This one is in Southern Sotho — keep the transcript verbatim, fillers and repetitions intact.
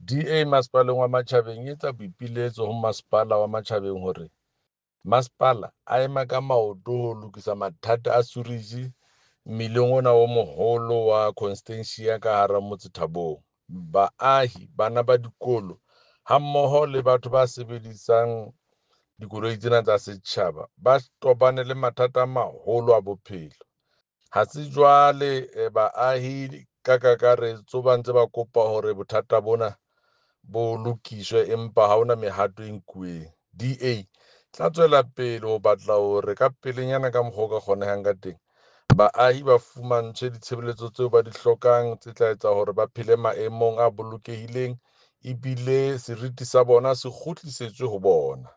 D A Masepaleng wa Matjhabeng e etsa boipiletso ho Masepala wa Matjhabeng hore masepala a ema ka maoto ho lokisa mathata a sewerage mmileng ona o moholo wa Constantia ka hara motse Thabong. Baahi, bana ba dikolo hammoho le batho ba sebedisang dikoloi tsena tsa setjhaba ba tobane le mathata a maholo a bophelo. Ha se jwale baahi ka kakaretso ba ntse ba kopa hore bothata bona bo lokiswe, empa ha hona mehato e nkuweng. D A tla tswela pele ho batla hore ka pelenyana ka mokgwa o ka kgonehang ka teng, baahi ba fumantshwe ditshebeletso tseo ba di hlokang tse tla etsa hore ba phele maemong a bolokehileng ebile seriti sa bona se kgutlisetswe ho bona.